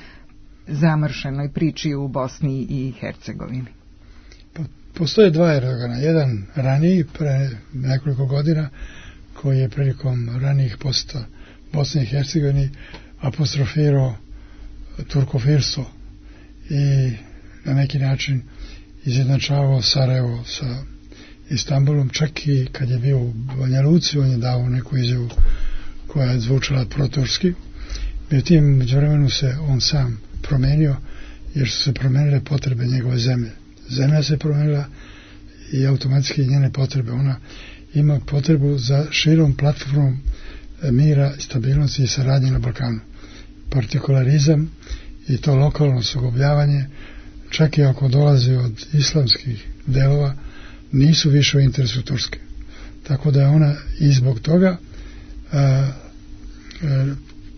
zamršenoj priči u Bosni i Hercegovini. Postoje dva Erdogana, jedan raniji pre nekoliko godina koji je prilikom ranijih posjeta Bosni i Hercegovini apostrofirao turkofirstvo i na neki način izjednačavao Sarajevo sa Istanbulom, čak i kad je bio u Banja Luci on je dao neku izjavu koja je zvučala proturski. Međutim, međuvremenu se on sam promenio jer su se promenile potrebe njegove zemlje. Zemlja se promenila i automatski njene potrebe. Ona ima potrebu za širom platformom mira, stabilnosti i saradnje na Balkanu. Partikularizam i to lokalno sukobljavanje, čak i ako dolazi od islamskih delova, nisu više u interesu Turske. Tako da je ona i zbog toga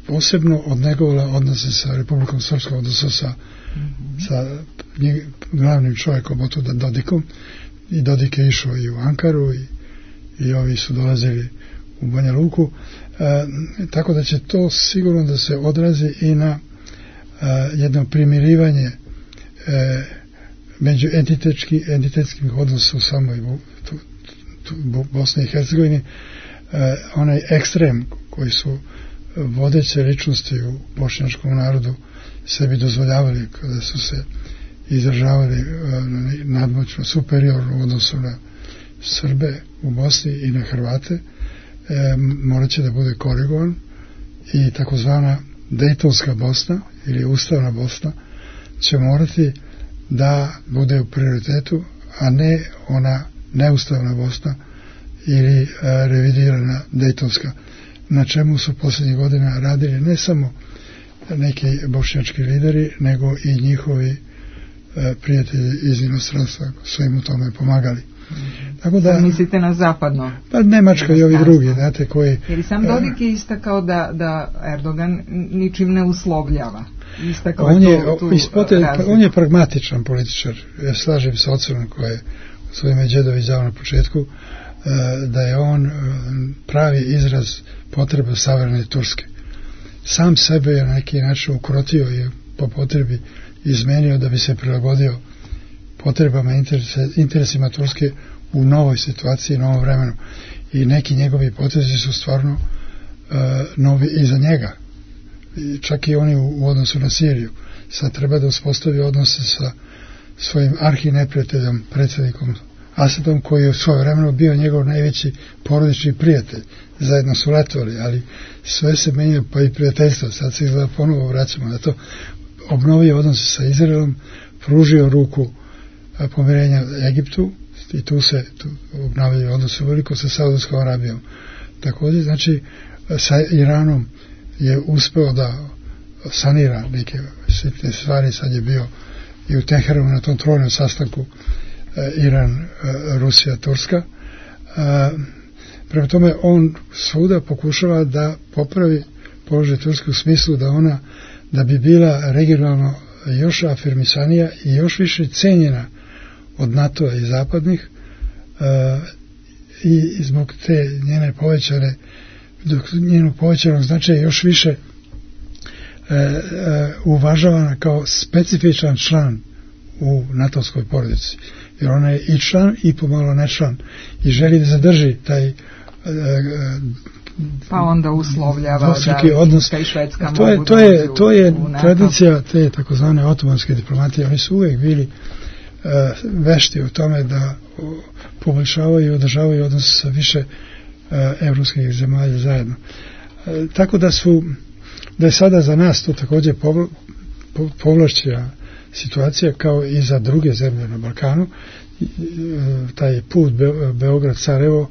posebno odnegovala odnose sa Republikom Srpskom, odnosno sa glavnim čovjekom otuda Dodikom, i Dodik je išao i u Ankaru i ovi su dolazili u Banja Luku, tako da će to sigurno da se odrazi i na jedno primirivanje među entitetskim odnosa u samoj Bosni i Hercegovini. Onaj ekstrem koji su vodeće ličnosti u bošnjačkom narodu sebi dozvoljavali kada su se izražavali nadmoćno superiorno u odnosu na Srbe u Bosni i na Hrvate, morat će da bude korigovan i takozvana Dejtonska Bosna ili Ustavna Bosna će morati da bude u prioritetu, a ne ona neustavna Bosna ili revidirana Dejtonska, na čemu su posljednjih godina radili ne samo neki bošnjački lideri, nego i njihovi prijatelji iz inostranstva su im u tome pomagali. Tako da, mislite na zapadno? Pa Nemačka i ovi drugi, znate, koji... Jer i sam Dodik je istakao da Erdogan ničim ne uslovljava. On je pragmatičan političar. Ja slažem sa ocenom koje je svoj Međedović dao na početku, da je on pravi izraz potrebe savremene Turske. Sam sebe je na neki način ukrotio i po potrebi izmenio da bi se prilagodio potrebama, interesima Turske u novoj situaciji, novom vremenu. I neki njegovi potezi su stvarno novi i za njega. Čak i oni u odnosu na Siriju. Sad treba da uspostavi odnose sa svojim arhineprijateljom, predsjednikom Asadom, koji je u svoje vremenu bio njegov najveći porodični prijatelj. Zajedno su letovali, ali sve se menja, pa i prijateljstvo. Sad se izgleda ponovo vraćamo na to. Obnovio odnose sa Izraelom, pružio ruku pomirenja Egiptu i tu obnavljaju odnose veliko sa Saudijskom Arabijom. Također, znači, sa Iranom je uspeo da sanira neke sitne stvari. Sad je bio i u Teheranu na tom trojnom sastanku Iran, Rusija, Turska. Prema tome, on svuda pokušava da popravi položaj Turske u smislu da bi bila regionalno još afirmisanija i još više cenjena od NATO-a i zapadnih, i zbog te njene njenog povećanog značaja još više uvažavana kao specifičan član u NATO-skoj porodici. Jer ona je i član i pomalo ne član i želi da zadrži taj pa onda uslovljava da odnos. I Švedska to je tradicija te takozvane otomanske diplomatije. Oni su uvijek bili vešti u tome da poboljšavaju i održavaju odnose sa više evropskih zemalja zajedno. Tako da je sada za nas to također povlašćena situacija kao i za druge zemlje na Balkanu. Taj put Beograd-Sarajevo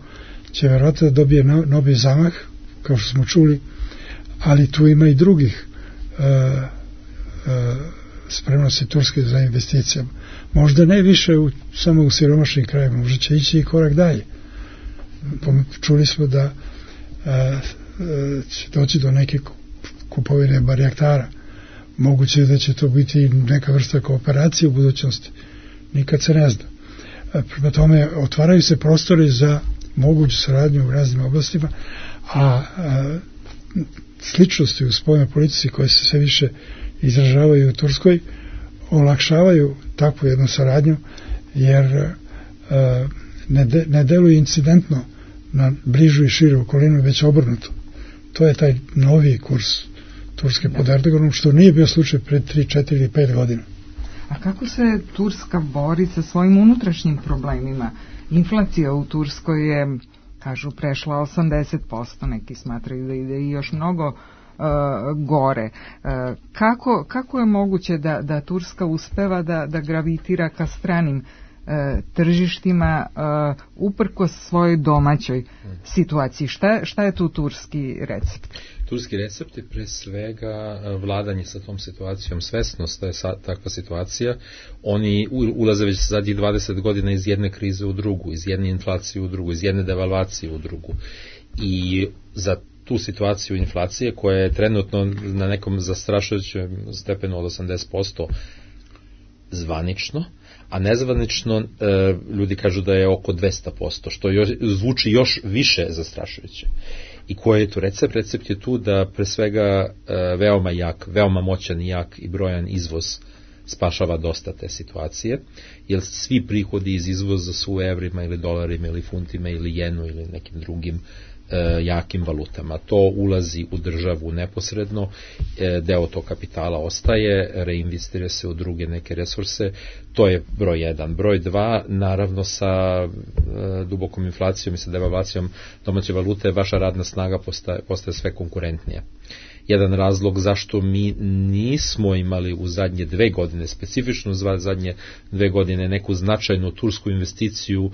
će vjerojatno da dobije novi zamah, kao što smo čuli, ali tu ima i drugih spremnosti Turske za investicijama. Možda ne više samo u siromašnim krajima, možda će ići i korak dalje. Čuli smo da će doći do neke kupovine barjaktara. Moguće da će to biti neka vrsta kooperacije u budućnosti. Nikad se ne zna. Prema tome, otvaraju se prostori za moguću saradnju u raznim oblastima, a sličnosti u spoljnoj politici koje se sve više izražavaju u Turskoj olakšavaju takvu jednu saradnju, jer ne deluje incidentno na bližu i širu okolinu, već obrnuto. To je taj novi kurs Turske pod Erdoganom, što nije bio slučaj pred 3, 4 ili 5 godina. A kako se Turska bori sa svojim unutrašnjim problemima? Inflacija u Turskoj je, kažu, prešla 80%, neki smatraju da ide i još mnogo gore. Kako je moguće da Turska uspeva da gravitira ka stranim tržištima uprkos svojoj domaćoj situaciji? Šta je tu turski recept? Turski recept je pre svega vladanje sa tom situacijom, svesnost da je takva situacija. Oni ulaze već zadnjih 20 godina iz jedne krize u drugu, iz jedne inflacije u drugu, iz jedne devalvacije u drugu. I za tu situaciju inflacije koja je trenutno na nekom zastrašujućem stepenu od 80% zvanično, a nezvanično ljudi kažu da je oko 200%, što zvuči još više zastrašujuće. I koji je tu recept? Recept je tu da pre svega veoma jak, veoma moćan i jak i brojan izvoz spašava dosta te situacije, jer svi prihodi iz izvoza su u evrima ili dolarima ili funtima ili jenu ili nekim drugim jakim valutama. To ulazi u državu neposredno, deo tog kapitala ostaje, reinvestira se u druge neke resurse, to je broj 1. Broj 2, naravno sa dubokom inflacijom i sa devalvacijom domaće valute, vaša radna snaga postaje sve konkurentnija. Jedan razlog zašto mi nismo imali u zadnje 2 godine, specifično zadnje 2 godine, neku značajnu tursku investiciju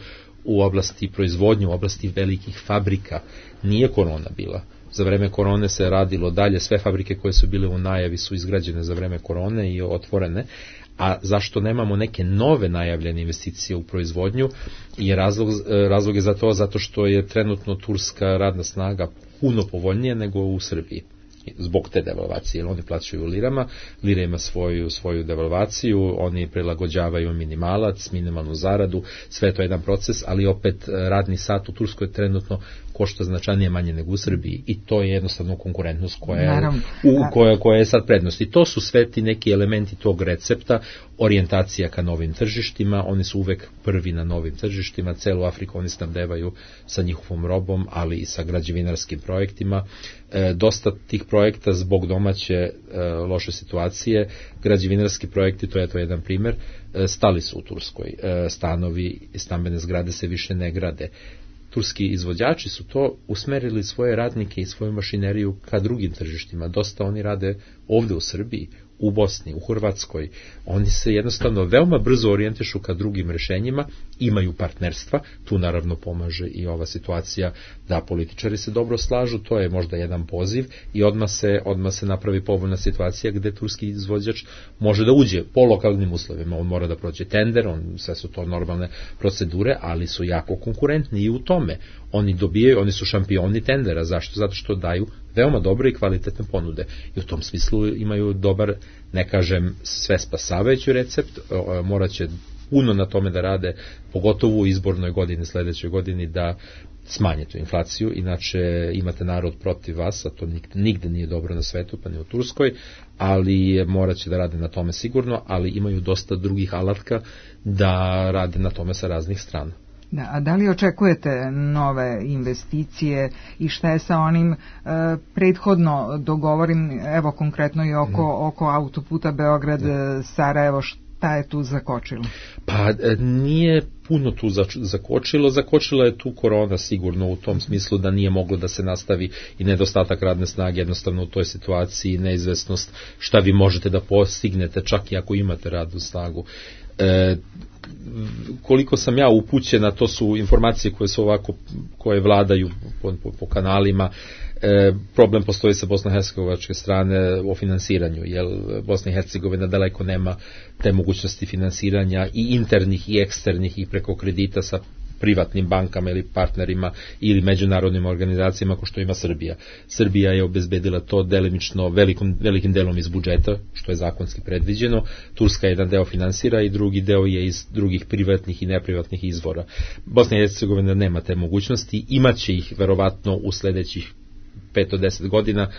u oblasti proizvodnje, u oblasti velikih fabrika, nije korona bila. Za vreme korone se radilo dalje, sve fabrike koje su bile u najavi su izgrađene za vreme korone i otvorene, a zašto nemamo neke nove najavljene investicije u proizvodnju, je razlog je za to zato što je trenutno turska radna snaga puno povoljnije nego u Srbiji. zbog te devalvacije, jer oni plaćaju u lirama, lira ima svoju devalvaciju, oni prilagođavaju minimalac, minimalnu zaradu, sve to je jedan proces, ali opet radni sat u Turskoj trenutno košta značajnije manje nego u Srbiji i to je jednostavno konkurentnost koja je sad prednost. I to su sve ti neki elementi tog recepta, orijentacija ka novim tržištima, oni su uvek prvi na novim tržištima, celu Afriku oni snabdevaju sa njihovom robom, ali i sa građevinarskim projektima. Dosta tih projekta zbog domaće loše situacije, građevinarski projekti, to je jedan primer, stali su u Turskoj. Stanovi i stambene zgrade se više ne grade. Turski izvođači su to usmerili svoje radnike i svoju mašineriju ka drugim tržištima. Dosta oni rade ovde u Srbiji, u Bosni, u Hrvatskoj. Oni se jednostavno veoma brzo orijentišu ka drugim rešenjima, imaju partnerstva, tu naravno pomaže i ova situacija da političari se dobro slažu, to je možda jedan poziv i odmah se napravi povoljna situacija gde turski izvođač može da uđe po lokalnim uslovima, on mora da prođe tender, sve su to normalne procedure, ali su jako konkurentni i u tome. Oni su šampioni tendera, zašto? Zato što daju veoma dobre i kvalitetne ponude i u tom smislu imaju dobar, ne kažem sve spasavajući recept, morat će puno na tome da rade, pogotovo u izbornoj godini, sledećoj godini, da smanje tu inflaciju, inače imate narod protiv vas, a to nigde nije dobro na svetu, pa ni u Turskoj, ali morat će da rade na tome sigurno, ali imaju dosta drugih alatka da rade na tome sa raznih strana. Da, a da li očekujete nove investicije i šta je sa onim prethodno dogovorim, evo konkretno i oko autoputa Beograd-Sarajevo, šta je tu zakočilo? Pa nije puno tu zakočila je tu korona sigurno u tom smislu da nije moglo da se nastavi i nedostatak radne snage, jednostavno u toj situaciji neizvesnost šta vi možete da postignete čak i ako imate radnu snagu. Koliko sam ja upućena, to su informacije koje su ovako, koje vladaju po kanalima. Problem postoji sa bosno-hercegovačke strane o finansiranju, jer Bosna i Hercegovina daleko nema te mogućnosti finansiranja i internih i eksternih i preko kredita sa privatnim bankama ili partnerima ili međunarodnim organizacijama kao što ima Srbija. Srbija je obezbedila to delimično velikim delom iz budžeta, što je zakonski predviđeno. Turska jedan deo finansira i drugi deo je iz drugih privatnih i neprivatnih izvora. Bosna i Hercegovina nema te mogućnosti, imaće ih verovatno u sledećih 5 do 10 godina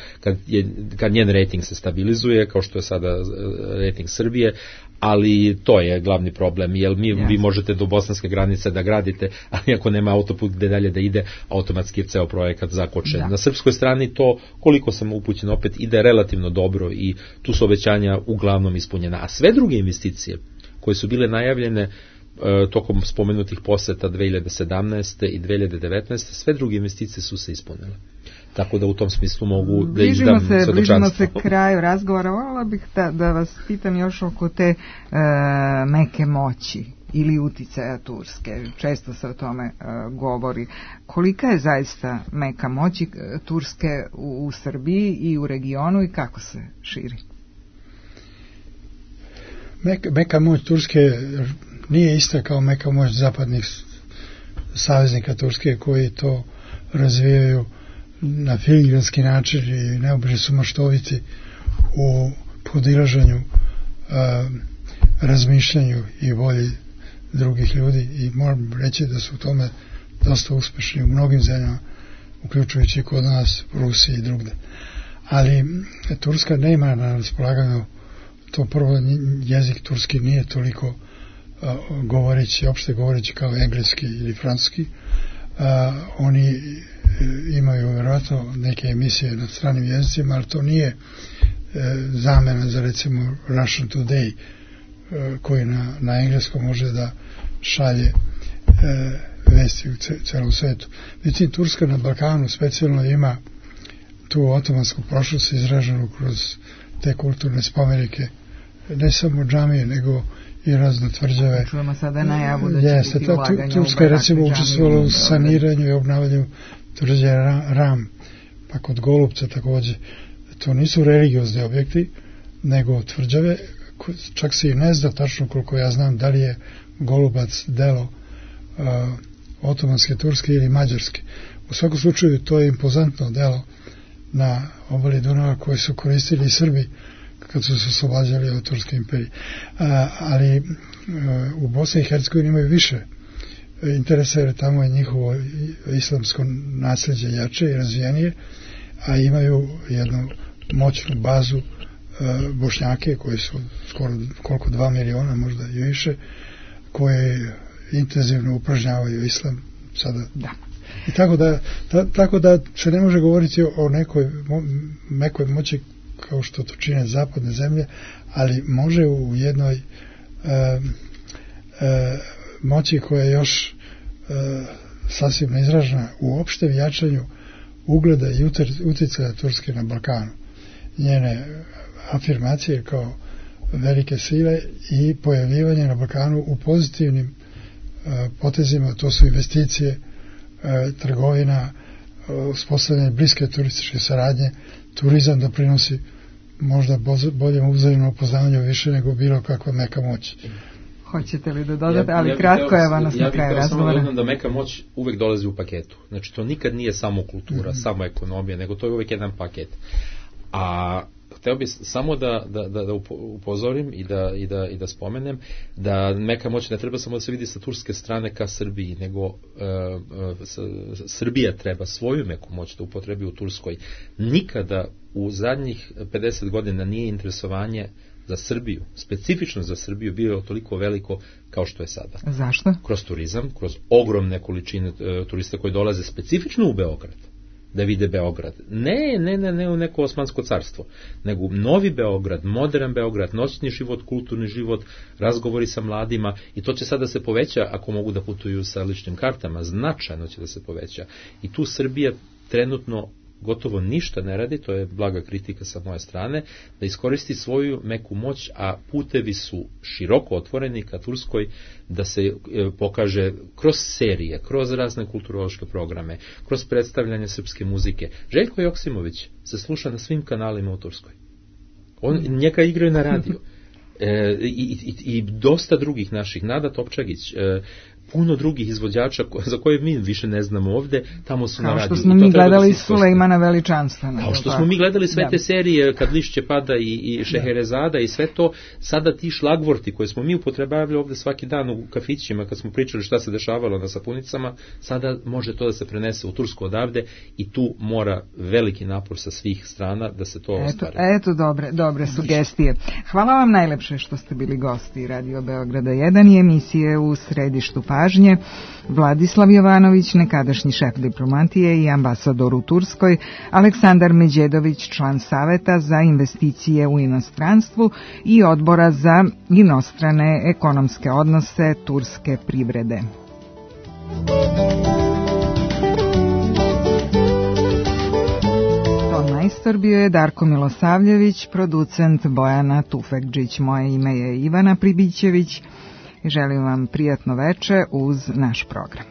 kad njen rating se stabilizuje, kao što je sada rating Srbije, ali to je glavni problem, jer vi možete do bosanske granice da gradite, ali ako nema autoput gde dalje da ide, automatski je ceo projekat zakočen. Na srpskoj strani to, koliko sam upućen, opet ide relativno dobro i tu su obećanja uglavnom ispunjena. A sve druge investicije koje su bile najavljene tokom spomenutih poseta 2017. i 2019. sve druge investicije su se ispunile. Tako da u tom smislu mogu da izdam svedočanstvo. Bližimo se kraju razgovora. Voljela bih da vas pitam još oko te meke moći ili uticaja Turske. Često se o tome govori. Kolika je zaista meka moći Turske u Srbiji i u regionu i kako se širi? Meka moć Turske nije ista kao meka moć zapadnih saveznika Turske koji to razvijaju na filigranski način i neobično su maštoviti u podilaženju, razmišljanju i volji drugih ljudi i moram reći da su u tome dosta uspešni u mnogim zemljama, uključujući kod nas, Rusiji i drugde. Ali Turska ne ima na raspolaganju, to prvo jezik turski nije toliko opšte govoreći kao engleski ili francuski. Oni imaju vjerojatno neke emisije na stranim jezicima, ali to nije zamena za recimo Russian Today koji na engleskom može da šalje vesti u celom svetu. Međutim, Turska na Balkanu specijalno ima tu otomansku prošlost izraženu kroz te kulturne spomenike, ne samo džamije, nego i razne tvrđave. Čujemo sada najavu da će biti ulaganja Turska je recimo učestvovala u saniranju i obnavljanju tvrđe Ram, pa kod Golubca takođe. To nisu religiozni objekti, nego tvrđave, čak se i ne zna tačno koliko ja znam da li je Golubac delo otomanske, turske ili mađarske. U svakom slučaju to je impozantno delo na obali Dunava koje su koristili i Srbi kad su se oslobađali od Turske imperije. Ali u Bosni i Hercegovini imaju više interesa, jer tamo je njihovo islamsko nasljeđe jače i razvijenije, a imaju jednu moćnu bazu Bošnjake koji su skoro 2 miliona, možda i više, koje intenzivno upražnjavaju islam sada. Da. I tako da se ne može govoriti o nekoj moći kao što to čine zapadne zemlje, ali može u jednoj moći koja je još sasvim neizražena u opštem jačanju ugleda i uticaja Turske na Balkanu. Njene afirmacije kao velike sile i pojavljivanje na Balkanu u pozitivnim potezima, to su investicije, trgovina, uspostavljanje bliske turističke saradnje. Turizam doprinosi možda boljem uzajemnom upoznavanju više nego bilo kakva meka moć. Hoćete li da dodate, ali kratko je vas na kraju razgovora. Ja bih da meka moć uvek dolazi u paketu. Znači to nikad nije samo kultura, samo ekonomija, nego to je uvek jedan paket. A hteo bih samo da upozorim i da spomenem da meka moć ne treba samo da se vidi sa turske strane ka Srbiji, nego Srbija treba svoju meku moć da upotrebi u Turskoj. Nikada u zadnjih 50 godina nije interesovanje za Srbiju, specifično za Srbiju, bio je toliko veliko kao što je sada. Zašto? Kroz turizam, kroz ogromne količine turista koji dolaze specifično u Beograd, da vide Beograd. Ne u neko Osmansko carstvo, nego novi Beograd, modern Beograd, noćni život, kulturni život, razgovori sa mladima, i to će sada da se poveća ako mogu da putuju sa ličnim kartama, značajno će da se poveća. I tu Srbija trenutno gotovo ništa ne radi, to je blaga kritika sa moje strane, da iskoristi svoju meku moć, a putevi su široko otvoreni ka Turskoj, da se pokaže kroz serije, kroz razne kulturološke programe, kroz predstavljanje srpske muzike. Željko Joksimović se sluša na svim kanalima u Turskoj. Njega igraju na radiju. I dosta drugih naših, Nada Topčagić, puno drugih izvođača za koje mi više ne znamo ovde, tamo su na radiju. Kao što smo mi gledali Sulejmana Veličanstvena. Kao što smo mi gledali sve te serije, Kad lišće pada i Šeherezada i sve to, sada ti šlagvorti koje smo mi upotrebavali ovde svaki dan u kafićima kad smo pričali šta se dešavalo na sapunicama, sada može to da se prenese u Tursku odavde i tu mora veliki napor sa svih strana da se to ostvari. Eto dobre sugestije. Hvala vam najlepše što ste bili gosti Radio Beograda 1 i emisije U središtu pažnje. Vladislav Jovanović, nekadašnji šef diplomatije i ambasador u Turskoj, Aleksandar Međedović, član Saveta za investicije u inostranstvu i Odbora za inostrane ekonomske odnose turske privrede. Ton majstor bio je Darko Milosavljević, producent Bojana Tufekđić. Moje ime je Ivana Pribićević. Želim vam prijatno veče uz naš program.